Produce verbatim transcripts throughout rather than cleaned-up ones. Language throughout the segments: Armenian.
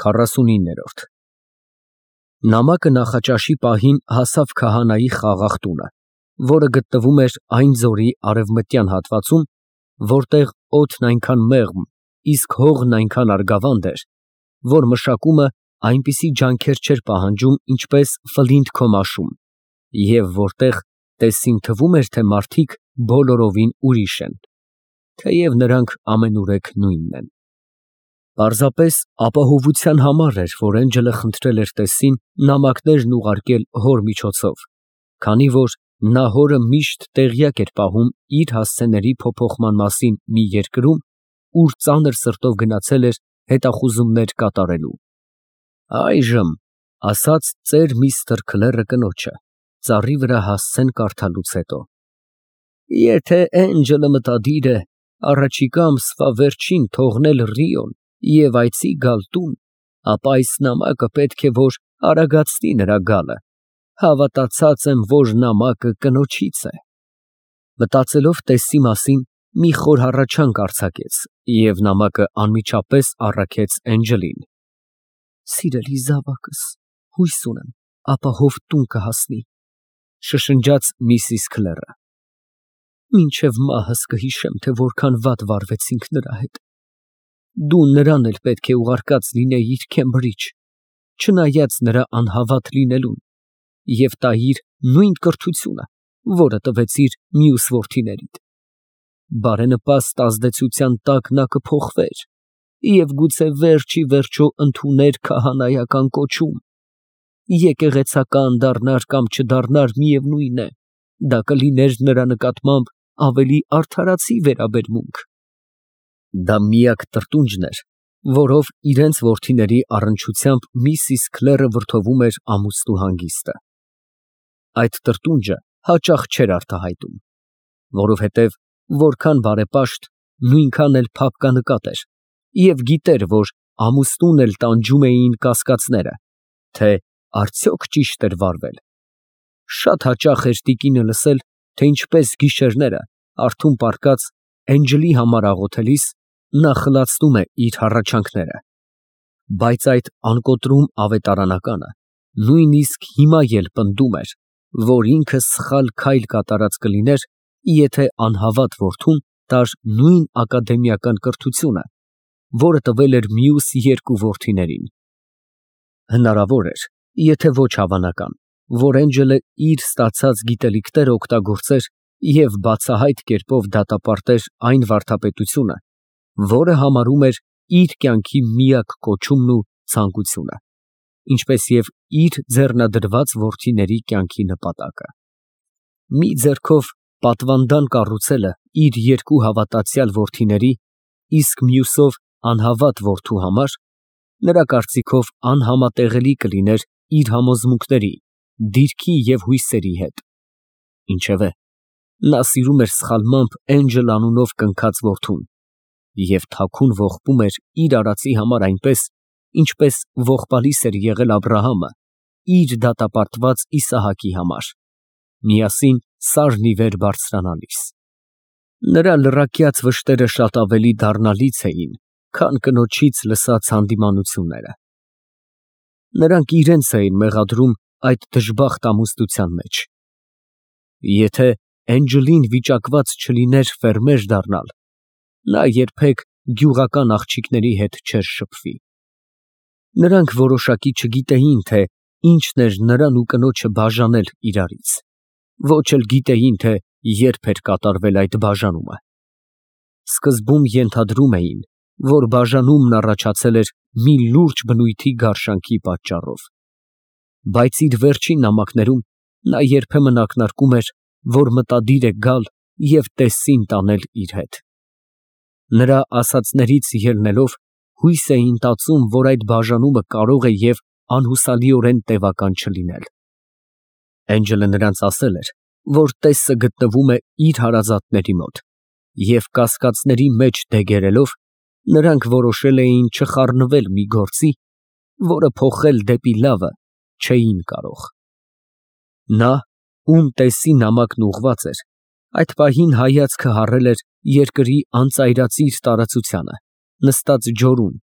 քառասունիններորդ Նամակը նախաճաշի պահին հասավ քահանայի խաղաղ տունը, որը գտնվում էր այն ձորի արևմտյան հատվածում, որտեղ օդն այնքան մեղմ, իսկ հողն այնքան արգավանդ էր, որ մշակումը այնպիսի ջանքեր չէր պահանջում, ինչպես Ֆլինտ քոմաշում, և որտեղ տեսին թվում էր, թե մարդիկ բոլորովին ուրիշ են, թեև նրանք ամենուրեք նույնն են։ Պարզապես ապահովության համար էր, որ Էնջելը խնդրել էր տեսին նամակներն ուղարկել հոր միջոցով, քանի որ նա հորը միշտ տեղյակ էր պահում իր հասցեների փոփոխման մասին մի երկրում, ուր ծանր սրտով գնացել էր հետախուզումներ կատարելու։ Այժմ, ֊ ասաց ծեր միստր Քլերը կնոջը, ծառի վրա հասցեն կարդալուց հետո, ֊ եթե Էնջելը մտադիր է առաջիկա ամսվա վերջին թողնել Ռիոն և այցի գալ տուն, ապա այս նամակը պետք է որ արագացնի նրա գալը, հավատացած եմ, որ նամակը կնոջից է։ Մտածելով տեսի մասին, մի խոր հառաչանք արձակեց և նամակը անմիջապես առաքեց Էնջելին։ Սիրելի զավակս, հույս ունեմ, ապահով տուն կհասնի, շշնջաց միսիս Քլերը։ Մինչև մահս կհիշեմ, թե որքան վատ վարվեցինք նրա հետ։ Դու նրան էլ պետք է ուղարկած լինեիր Քեմբրիջ, չնայած նրա անհավատ լինելուն, և տայիր նույն կրթությունը, որը տվեցիր մյուս որդիներիդ։ Բարենպաստ ազդեցության տակ նա կփոխվեր և գուցե վերջ ի վերջո ընդուներ քահանայական կոչում։ Եկեղեցական դառնար կամ չդառնար, միևնույն է, դա կլիներ նրա նկատմամբ ավելի արդարացի վերաբերմունք։ Դա միակ տրտունջն էր, որով իրենց որդիների առնչությամբ միսիս Քլերը վրդովում էր ամուսնու հանգիստը։ Այդ տրտունջը հաճախ չէր արտահայտում, որովհետև որքան բարեպաշտ, նույնքան էլ փափկանկատ էր, և գիտեր, որ ամուսնուն էլ տանջում էին կասկածները, թե արդյոք ճիշտ էր վարվել։ Շատ հաճախ էր տիկինը լսել, թե ինչպես գիշերները, արթուն պառկած, Էնջելի համար աղոթելիս, նա խլացնում է իր հառաչանքները։ Բայց այդ անկոտրում ավետարանականը նույնիսկ հիմա էլ պնդում էր, որ ինքը սխալ քայլ կատարած կլիներ, եթե անհավատ որդուն տար նույն ակադեմիական կրթությունը, որը տվել էր մյուս երկու որդիներին։ Հնարավոր էր, եթե ոչ հավանական, որ Էնջելը իր ստացած գիտելիքները օգտագործեր և բացահայտ կերպով դատապարտեր այն վարդապետությունը, որը համարում էր իր կյանքի միակ կոչումն ու ցանկությունը, ինչպես և իր ձեռնադրված որդիների կյանքի նպատակը։ Մի ձեռքով պատվանդան կառուցելը իր երկու հավատացյալ որդիների, իսկ մյուսով անհավատ որդու համար, նրա կարծիքով անհամատեղելի կլիներ իր համոզմունքների, դիրքի և հույսերի հետ։ Ինչևէ, նա սիրում էր սխալմամբ Էնջել անունով կնքած որդուն և թաքուն ողբում էր իր արածի համար այնպես, ինչպես ողբալիս էր եղել Աբրահամը իր դատապարտված Իսահակի համար, միասին սարն ի վեր բարձրանալիս։ Նրա լրակյաց վշտերը շատ ավելի դառնալից էին, քան կնոջից լսած հանդիմանությունները։ Նրանք իրենց էին մեղադրում այդ դժբախտ ամուսնության մեջ։ Եթե Էնջելին վիճակված չլիներ ֆերմեր դառնալ, նա երբեք գյուղական աղջիկների հետ չէր շփվի։ Նրանք որոշակի չգիտեին, թե ինչն էր նրան ու կնոջը բաժանել իրարից, ոչ էլ գիտեին, թե երբ էր կատարվել այդ բաժանումը։ Սկզբում ենթադրում էին, որ բաժանումն առաջացել էր մի լուրջ բնույթի գարշանքի պատճառով, բայց իր վերջին նամակներում նա երբեմն ակնարկում էր, որ մտադիր է գալ և տեսին տանել իր հետ։ Նրա ասածներից ելնելով, հույս էին տածում, որ այդ բաժանումը կարող է և անհուսալիորեն տևական չլինել։ Էնջելը նրանց ասել էր, որ տեսքը գտնվում է իր հարազատների մոտ, և կասկածների մեջ դեգերելով, նրանք որոշել էին չխառնվել մի գործի, որը փոխել դեպի լավը չէին կարող։ Նա, ում տեսի նամակն ուղղված էր, այդ պահին հայացքը հառել էր երկրի անծայրածիր տարածությանը, նստած ջորում,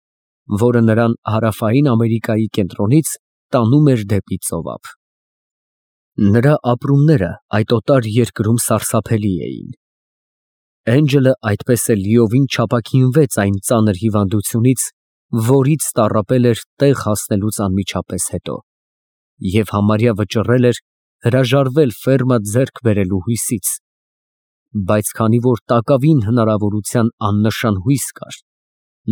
որը նրան հարավային Ամերիկայի կենտրոնից տանում էր դեպի ծովափ։ Նրա ապրումները այդ օտար երկրում սարսափելի էին։ Էնջելը այդպես էլ լիովին չապաքինվեց այն ծանր հիվանդությունից, որից տառապել էր տեղ հասնելուց անմիջապես հետո, և համարյա վճռել էր հրաժարվել ֆերմա ձեռք բերելու հույսից, բայց քանի որ տակավին հնարավորության աննշան հույս կար,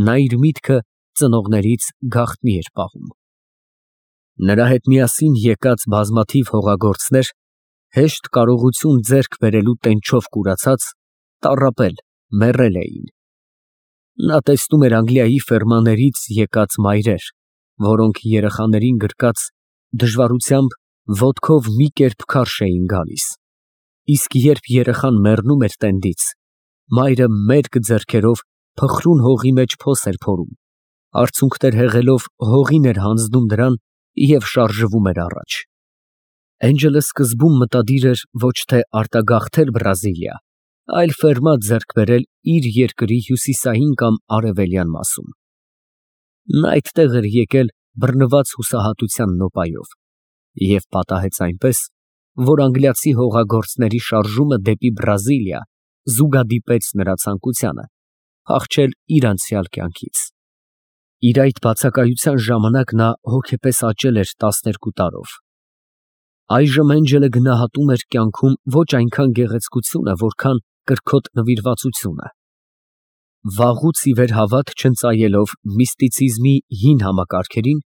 նա իր միտքը ծնողներից գաղտնի էր պահում։ Նրա հետ միասին եկած բազմաթիվ հողագործներ, հեշտ կարողություն ձեռք բերելու տենչով կուրացած, տառապել, մեռել էին։ Նա տեսնում էր Անգլիայի ֆերմաներից եկած մայրեր, որոնք երեխաներին գրկած դժվարությամբ ոտքով մի կերպ քարշ էին գալիս, իսկ երբ երեխան մեռնում էր տենդից, մայրը մերկ ձեռքերով փխրուն հողի մեջ փոս էր փորում, արցունքներ հեղելով հողին էր հանձնում դրան և շարժվում էր առաջ։ Էնջելը սկզբում մտադիր էր ոչ թե արտագաղթել Բրազիլիա, այլ ֆերմա ձեռք բերել իր երկրի հյուսիսային կամ արևելյան մասում։ Նա այդտեղ էր եկել բռնված հուսահատության նոպայով և պատահեց այնպես, որ անգլիացի հողագործների շարժումը դեպի Բրազիլիա զուգադիպեց նրա ցանկությանը փախչել իր անցյալ կյանքից։ Իր այդ բացակայության ժամանակ նա հոգեպես աճել էր տասներկու տարով։ Այժմ Էնջելը գնահատում էր կյանքում ոչ այնքան գեղեցկությունը, որքան կրքոտ նվիրվածությունը։ Վաղուց ի վեր հավատ չընծայելով միստիցիզմի հին համակարգերին,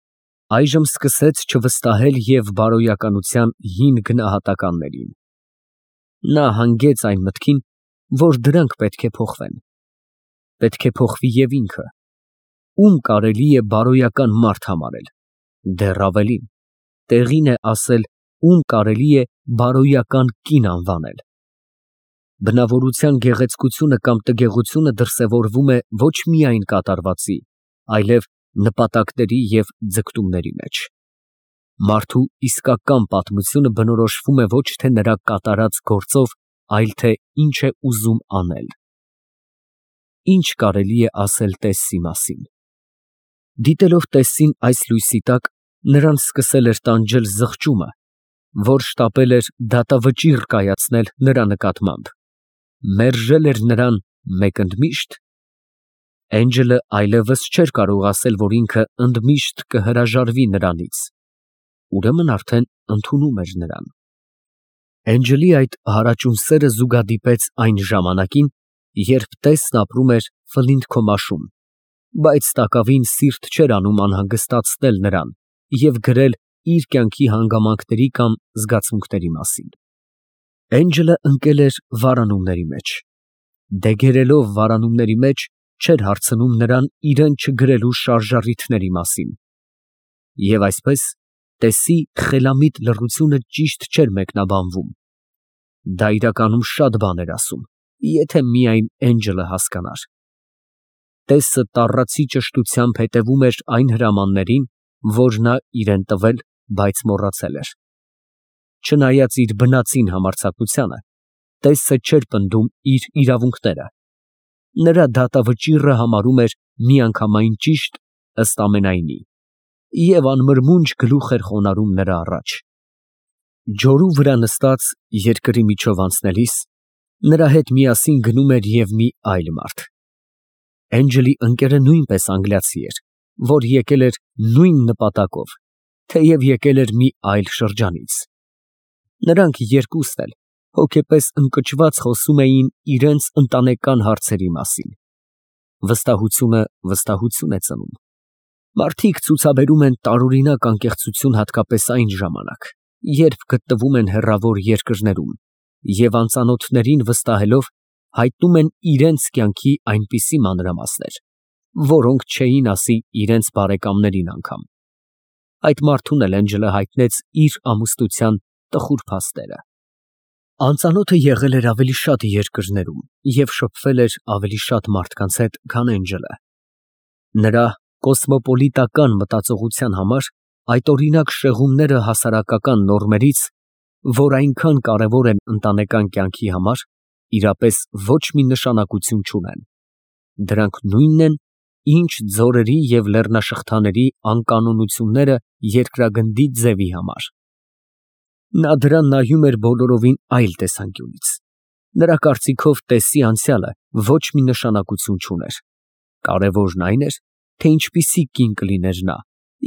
այժմ սկսեց չվստահել և բարոյականության հին գնահատականներին։ Նա հանգեց այն մտքին, որ դրանք պետք է փոխվեն։ Պետք է փոխվի և ինքը, ում կարելի է բարոյական մարդ համարել, դեռ ավելին, տեղին է ասել, ում կարելի է բարոյական կին անվանել։ Բնավորության գեղեցկությունը կամ տգեղությունը դրսևորվում է ոչ միայն կատարվածի, այլև նպատակների և ձգտումների մեջ։ Մարդու իսկական պատմությունը բնորոշվում է ոչ թե նրա կատարած գործով, այլ թե ինչ է ուզում անել։ Ինչ կարելի է ասել Տեսսի մասին։ Դիտելով Տեսսին այս լույսի տակ, նրան սկսել էր տանջել զղջումը, որ շտապել էր դատավճիռ կայացնել նրա նկատմամբ, մերժել էր նրան մեկ ընդմիշտ։ Էնջելը այլևս չէր կարող ասել, որ ինքը ընդմիշտ կհրաժարվի նրանից, ուրեմն արդեն ընդունում էր նրան։ Էնջելի այդ հարաճուն սերը զուգադիպեց այն ժամանակին, երբ Տեսն ապրում էր Ֆլինթ-Քոմաշում, բայց տակավին սիրտ չէր անում անհանգստացնել նրան և գրել իր կյանքի հանգամանքների կամ զգացմունքների մասին։ Էնջելը ընկել էր վարանումների մեջ, դեգերելով վարանումների մեջ, չէր հարցնում նրան իրեն չգրելու շարժառիթների մասին, և այսպես Տեսի խելամիտ լռությունը ճիշտ չէր մեկնաբանվում։ Դա իրականում շատ բան էր ասում, եթե միայն Էնջելը հասկանար։ Տեսը տառացի ճշտությամբ հետևում էր այն հրամաններին, որ նա իրեն տվել, բայց մոռացել էր։ Չնայած իր բնածին համարձակությանը, Տեսը չէր պնդում իր իրավունքները։ Նրա դատավճիռը համարում էր միանգամայն ճիշտ ըստ ամենայնի և անմրմունջ գլուխ էր խոնարհում նրա առաջ։ Ջորու վրա նստած երկրի միջով անցնելիս, նրա հետ միասին գնում էր և մի այլ մարդ։ Էնջելի ընկերը նույնպես անգլիացի էր, որ եկել էր նույն նպատակով, թեև եկել էր մի այլ շրջանից։ Նրանք երկուստ էլ հոգեպես ընկճված խոսում էին իրենց ընտանեկան հարցերի մասին։ Վստահությունը վստահություն է ծնում։ Մարդիկ ցուցաբերում են տարօրինակ անկեղծություն հատկապես այն ժամանակ, երբ գտնվում են հեռավոր երկրներում և անծանոթներին վստահելով հայտնում են իրենց կյանքի այնպիսի մանրամասներ, որոնք չէին ասի իրենց բարեկամներին անգամ։ Այդ մարդուն էլ Էնջելը հայտնեց իր ամուսնության տխուր փաստերը։ Անծանոթը եղել էր ավելի շատ երկրներում և շփվել էր ավելի շատ մարդկանց հետ, քան Էնջելը։ Նրա կոսմոպոլիտական մտածողության համար այդօրինակ շեղումները հասարակական նորմերից, որ այնքան կարևոր են ընտանեկան կյանքի համար, իրապես ոչ մի նշանակություն չունեն։ Դրանք նույնն են, ինչ ձորերի և լեռնաշղթաների անկանոնությունները երկրագնդի ձևի համար։ Նա դրան նայում էր բոլորովին այլ տեսանկյունից։ Նրա կարծիքով տեսի անցյալը ոչ մի նշանակություն չուներ։ Կարևորն այն էր, թե ինչպիսի կին կլիներ նա,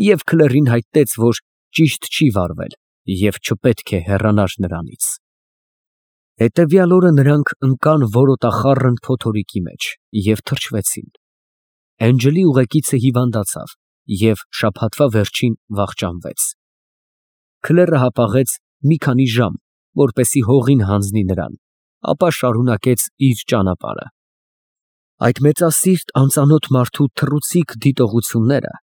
և քլերին հայտնեց, որ ճիշտ չի վարվել և չպետք է հեռանար նրանից։ Հետևյալ օրը նրանք ընկան որոտախառն փոթորիկի մեջ և թրջվեցին։ Էնջլի ուղեկիցը հիվանդացավ և շաբաթվա վերջին վախճանվեց։ Քլերը հապաղեց մի քանի ժամ, որպեսզի հողին հանձնի նրան, ապա շարունակեց իր ճանապարհը։ Այդ մեծասիրտ անծանոթ մարդու թռուցիկ դիտողությունները,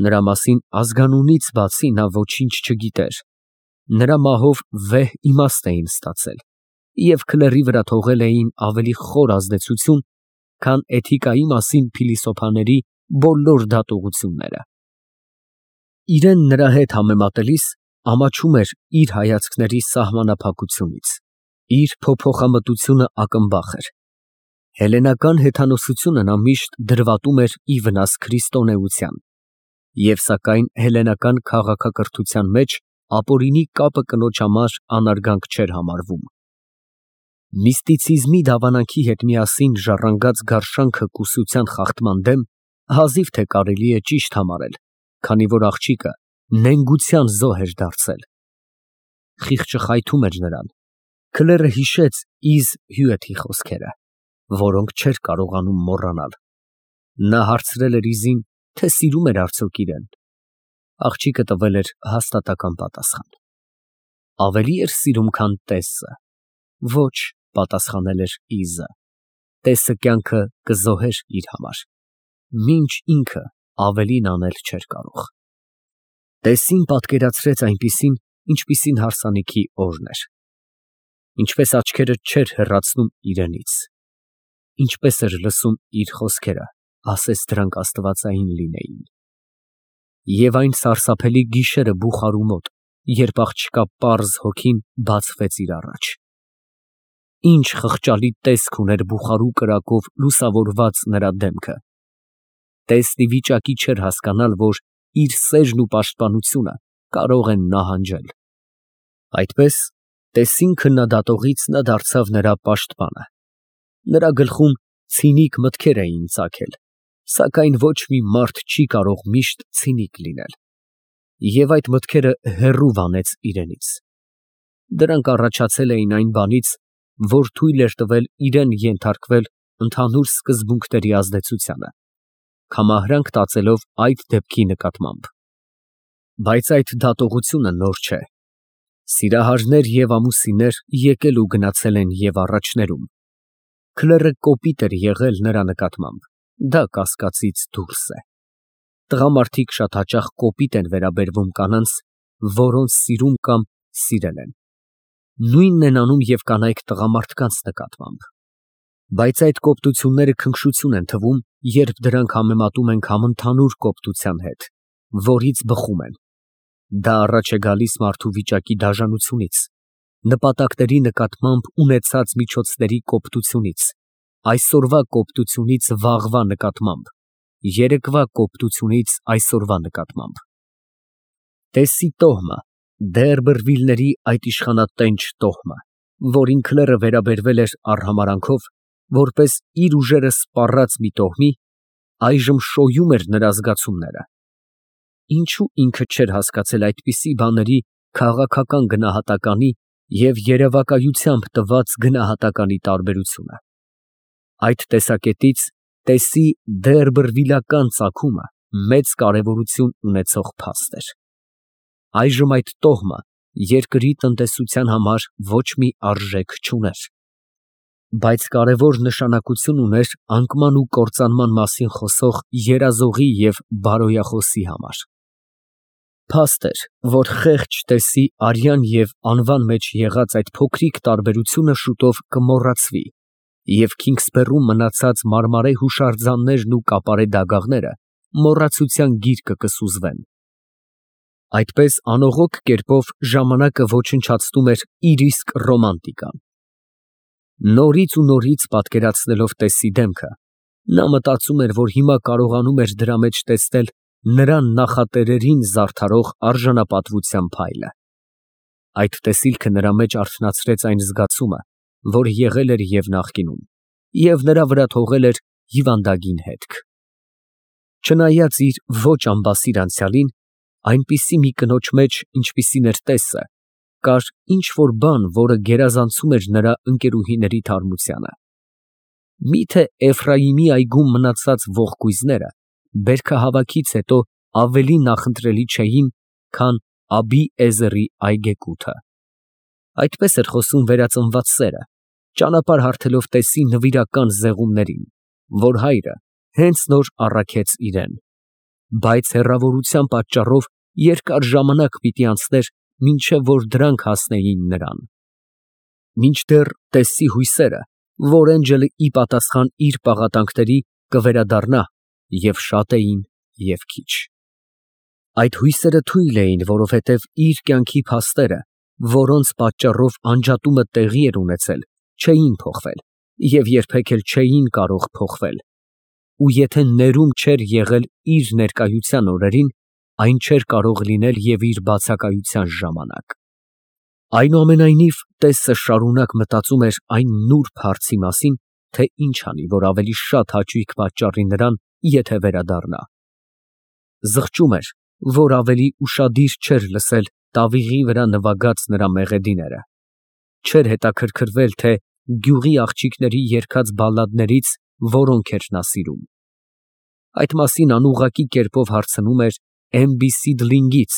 նրա մասին ազգանունից բացի նա ոչինչ չգիտեր, նրա մահով վեհ իմաստ էին ստացել և քլերի վրա թողել էին ավելի խոր ազդեցություն, քան էթիկայի մասին փիլիսոփաների բոլոր դատողությունները։ Իրեն նրա հետ համեմատելիս ամաչում էր իր հայացքների սահմանափակությունից, իր փոփոխամտությունը ակնբախ էր։ Հելլենական հեթանոսությունը նա միշտ դրվատում էր ի վնաս քրիստոնեության, և սակայն հելլենական քաղաքակրթության մեջ ապօրինի կապը կնոջ համար անարգանք չէր համարվում։ Միստիցիզմի դավանանքի հետ միասին ժառանգած գարշանքը կուսության խախտման դեմ հազիվ թե կարելի է ճիշտ համարել, քանի որ աղջիկը նենգության զոհ էր դարձել։ Խիղճը խայթում էր նրան։ Քլերը հիշեց Իզ Հյուեթի խոսքերը, որոնք չէր կարողանում մոռանալ։ Նա հարցրել էր Իզին, թե սիրում էր արդյոք իրեն։ Աղջիկը տվել էր հաստատակամ պատասխան։ Ավելի էր սիրում, քան տեսը։ Ոչ, պատասխանել էր Իզը, տեսը կյանքը կզոհեր իր համար, մինչ ինքը ավելին անել չէր կարող։ Տեսին պատկերացրեց այնպիսին, ինչպիսին հարսանիքի օրն էր։ Ինչպես աչքերը չէր հեռացնում իրենից, ինչպես էր լսում իր խոսքերը, ասես դրանք աստվածային լինեին։ Եվ այն սարսափելի գիշերը բուխարու մոտ, երբ աղջկա պարզ հոգին բացվեց իր առաջ։ Ինչ խղճալի տեսք ուներ բուխարու կրակով լուսավորված նրա դեմքը։ Տեսն ի վիճակի չէր հասկանալ, որ իր սերն ու պաշտպանությունը կարող են նահանջել։ Այդպես, տեսին քննադատողից նա դարձավ նրա պաշտպանը։ Նրա գլխում ցինիկ մտքեր էին ծագել, սակայն ոչ մի մարդ չի կարող միշտ ցինիկ լինել։ Եվ այդ մտքերը հեռու վանեց իրենից։ Դրանք առաջացել էին այն բանից, որ թույլ էր տվել իրեն ենթարկվել ընդհանուր սկզբունքների ազդեցությանը, կամահրանք տածելով այդ դեպքի նկատմամբ։ Բայց այդ դատողությունը նոր չէ։ Սիրահարներ և ամուսիններ եկել ու գնացել են և առաջներում։ Քլերը կոպիտ էր եղել նրա նկատմամբ, դա կասկածից դուրս է։ Տղամարդիկ շատ հաճախ կոպիտ են վերաբերվում կանանց, որոնց սիրում կամ սիրել են։ Նույնն են անում և կանայք տղամարդկանց նկատմամբ։ Բայց այդ կոպտությունները քնքշություն են թվում, երբ դրանք համեմատում ենք համընդհանուր կոպտության հետ, որից բխում են։ Դա առաջ է գալիս մարդու վիճակի դաժանությունից, նպատակների նկատմամբ ունեցած միջոցների կոպտությունից, այսօրվա կոպտությունից վաղվա նկատմամբ, երեկվա կոպտությունից այսօրվա նկատմամբ։ Տեսի տոհմը, Դերբերվիլների այդ իշխանատենչ տոհմը, որին քլերը վերաբերվել էր արհամարհանքով, որպես իր ուժերը սպառած մի տոհմի, այժմ շոյում էր նրա զգացումները։ Ինչո՞ւ ինքը չէր հասկացել այդպիսի բաների քաղաքական գնահատականի և երևակայությամբ տված գնահատականի տարբերությունը։ Այդ տեսակետից տեսի դերբերվիլական ծագումը մեծ կարևորություն ունեցող փաստ էր։ Այժմ այդ տոհմը երկրի տնտեսության համար ոչ մի արժեք չուներ, բայց կարևոր նշանակություն ուներ անկման ու կործանման մասին խոսող երազողի և բարոյախոսի համար։ Փաստ էր, որ խեղճ տեսի արյան և անվան մեջ եղած այդ փոքրիկ տարբերությունը շուտով կմոռացվի, և Քինգսբերում մնացած մարմարե հուշարձաններն ու կապարե դագաղները մոռացության գիրկը կսուզվեն։ Այդպես անողոք կերպով ժամանակը ոչնչացնում էր իր իսկ ռոմանտիկան։ Նորից ու նորից պատկերացնելով տեսի դեմքը, Նա մտածում էր, որ հիմա կարողանում էր դրա մեջ տեսնել նրան նախատերերին զարդարող արժանապատվության փայլը։ Այդ տեսիլքը նրա մեջ արթնացրեց այն զգացումը, որ եղել էր և նախկինում, և նրա վրա թողել էր հիվանդագին հետք։ Չնայած իր ոչ ամբասիր անցյալին, այնպիսի մի կնոջ մեջ, ինչպիսին էր տեսը, կար ինչ֊որ բան, որը գերազանցում էր նրա ընկերուհիների թարմությանը։ Միթե Էֆրայիմի այգում մնացած ողկույզները բերքահավաքից հետո ավելի նախընտրելի չէին, քան Աբի֊Էզերի այգեկութը։ Այդպես էր խոսում վերածնված սերը, ճանապարհ հարթելով տեսի նվիրական զեղումներին, որ հայրը հենց նոր առաքեց իրան, բայց հեռավորության պատճառով երկար ժամանակ պիտի անցներ, մինչև որ դրանք հասնեին նրան։ Մինչդեռ տեսի հույսերը, որ Էնջելը ի պատասխան իր պաղատանքների կվերադառնա, և շատ էին, և քիչ։ Այդ հույսերը թույլ էին, որովհետև իր կյանքի փաստերը, որոնց պատճառով անջատումը տեղի էր ունեցել, չէին փոխվել և երբեք էլ չէին կարող փոխվել, ու եթե ներում չէր եղել իր ներկայության օրերին, այն չէր կարող լինել և իր բացակայության ժամանակ։ Այնուամենայնիվ, տեսը շարունակ մտածում էր այն նուրբ հարցի մասին, թե ինչ անի, որ ավելի շատ հաճույք պատճառի նրան, եթե վերադառնա։ Զղջում էր, որ ավելի ուշադիր չէր լսել տավիղի վրա նվագած նրա մեղեդիները, չէր հետաքրքրվել, թե գյուղի աղջիկների երգած բալլադներից որոնք էր նա սիրում։ Այդ մասին անուղղակի կերպով հարցնում էր Էմբիսիդլինգից,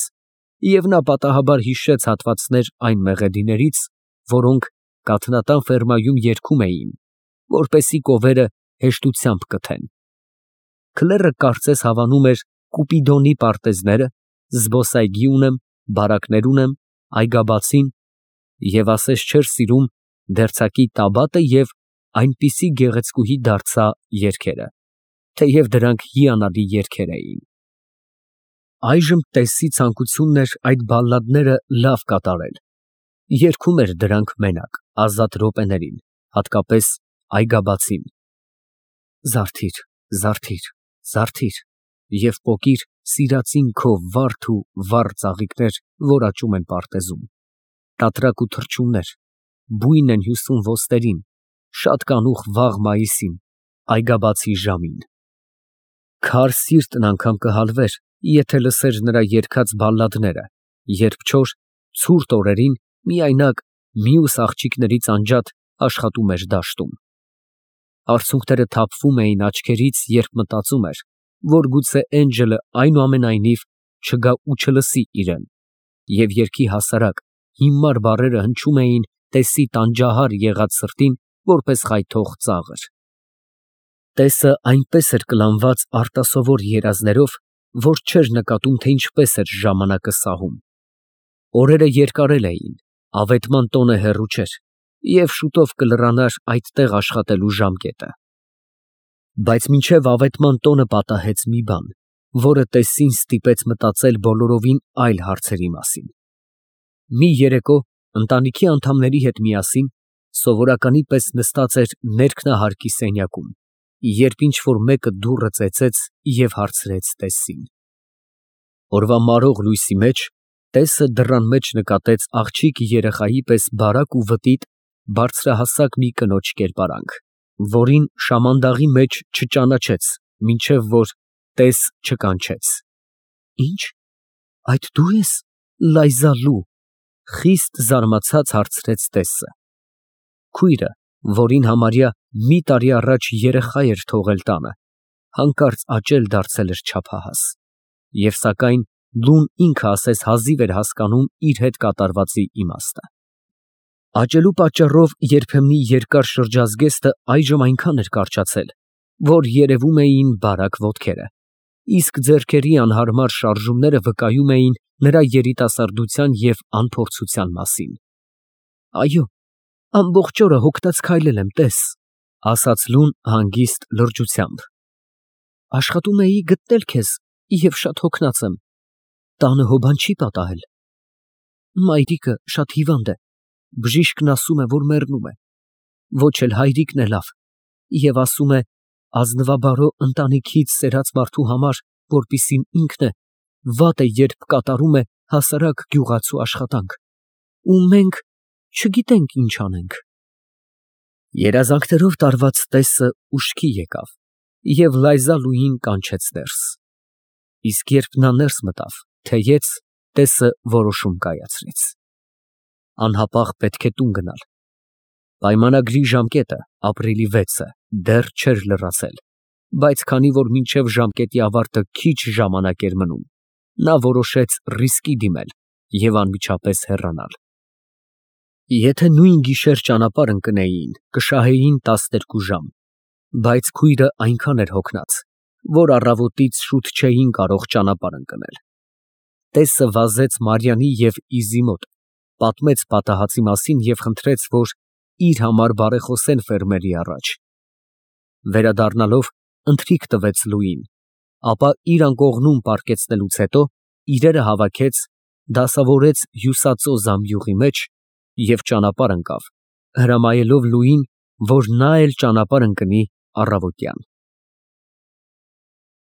և նա պատահաբար հիշեց հատվածներ այն մեղեդիներից, որոնք կաթնատան ֆերմայում երգում էին, որպեսզի կովերը հեշտությամբ կթեն։ Քլեռը կարծես հավանում էր Կուպիդոնի պարտեզները, զբոսայգի ունեմ, բարակներ ունեմ, այգաբացին, և ասես չէր սիրում դերձակի Տաբատը և այնպիսի գեղեցկուհի դարձա երգերը, թեև դրանք հիանալի երգեր էին։ Այժմ տեսի ցանկությունն էր այդ բալլադները լավ կատարել, երգում էր դրանք մենակ, ազատ րոպեներին, հատկապես այգաբացին. Զարթիր, զարթիր, զարթիր և պոկիր սիրածին քո վարդ ու վառ ծաղիկներ, որ աճում են պարտեզում, տատրակ ու թռչուններ, բույն են հյուսում ոստերին, շատ կանուխ վաղ մայիսին, այգաբացի ժամին։ Քար սիրտն անգամ կհալվեր, եթե լսեր նրա երգած բալլադները, երբ չոր, ցուրտ օրերին միայնակ մյուս աղջիկներից անջատ աշխատում էր դաշտում։ Արցունքները թափվում էին աչքերից, երբ մտածում էր, որ գուցե Էնջելը այնուամենայնիվ չգա ու չլսի իրան, և երգի հասարակ, հիմար բառերը հնչում էին տեսի տանջահար եղած սրտին, որպես խայթող ծաղր։ Տեսը այնպես էր կլանված արտասովոր երազներով, որ չէր նկատում, թե ինչպես էր ժամանակը սահում։ Օրերը երկարել էին, ավետման տոնը հեռու չէր, և շուտով կլռանար այդտեղ աշխատելու ժամկետը։ Բայց մինչև ավետման տոնը պատահեց մի բան, որը տեսին ստիպեց մտածել բոլորովին այլ հարցերի մասին։ Մի երեկո ընտանիքի անդամների հետ միասին սովորականի պես նստած էր ներքնահարկի սենյակում, երբ ինչ֊որ մեկը դուռը ծեծեց և հարցրեց տեսին։ Օրվա մարող լույսի մեջ տեսը դռան մեջ նկատեց աղջիկ երեխայի պես բարակ ու վտիտ բարձրահասակ մի կնոջ կերպարանք, որին շամանդաղի մեջ չճանաչեց, մինչև որ տես չկանչեց։ Ի՞նչ, այդ դու ես, Լայզալու, խիստ զարմացած հարցրեց տեսը։ Քույրը, որին համարյա մի տարի առաջ երեխա էր թողել տանը, հանկարծ աճել դարձել էր չափահաս, և սակայն լուն ինքը ասես հազիվ էր հասկանում իր հետ կատարվածի իմաստը։ Աճելու պատճառով երբեմնի երկար շրջազգեստը այժմ այնքան էր կարճացել, որ երևում էին բարակ ոտքերը, իսկ ձեռքերի անհարմար շարժումները վկայում էին նրա երիտասարդության և անփորձության մասին։ Այո, ամբողջ օրը հոգնած քայլել եմ, տես, ֊ ասաց լուն հանգիստ լրջությամբ։ Աշխատում էի գտնել քեզ և շատ հոգնած եմ, տանը հո բան չի պատահել։ Մայրիկը շատ հիվանդ է, բժիշկն ասում է, որ մեռնում է, ոչ էլ հայրիկն է լավ, և ասում է, ազնվաբարո ընտանիքից ծերած մարդու համար, որպիսին ինքն է, վատ է, երբ կատարում է հասարակ գյուղացու աշխատանք, ու մենք չգիտենք ինչ անենք։ Երազանքներով տարված տեսը ուշքի եկավ և Լայզալուին կանչեց ներս, իսկ երբ նա ներս մտավ, թեյեց, տեսը որոշում կայացրեց. անհապաղ պետք է տուն գնալ։ Պայմանագրի ժամկետը, ապրիլի վեցը, դեռ չէր լրացել, բայց քանի որ մինչև ժամկետի ավարտը քիչ ժամանակ էր մնում, նա որոշեց ռիսկի դիմել և անմիջապես հեռանալ։ Եթե նույն գիշեր ճանապարհ ընկնեին, կշահեին տասներկու ժամ, բայց քույրը այնքան էր հոգնած, որ առավոտից շուտ չէին կարող ճանապարհ ընկնել։ Տեսը վազեց Մարիանի և Իզի մոտ, պատմեց պատահածի մասին և խնդրեց, որ իր համար բարեխոսեն ֆերմերի առաջ։ Վերադառնալով, ընթրիք տվեց Լուիին, ապա իր անկողնում պառկեցնելուց հետո իրերը հավաքեց, դասավորեց հյուսածո զամբյուղի մեջ և ճանապարհ ընկավ, հրամայելով Լուիին, որ նա էլ ճանապարհ ընկնի առավոտյան։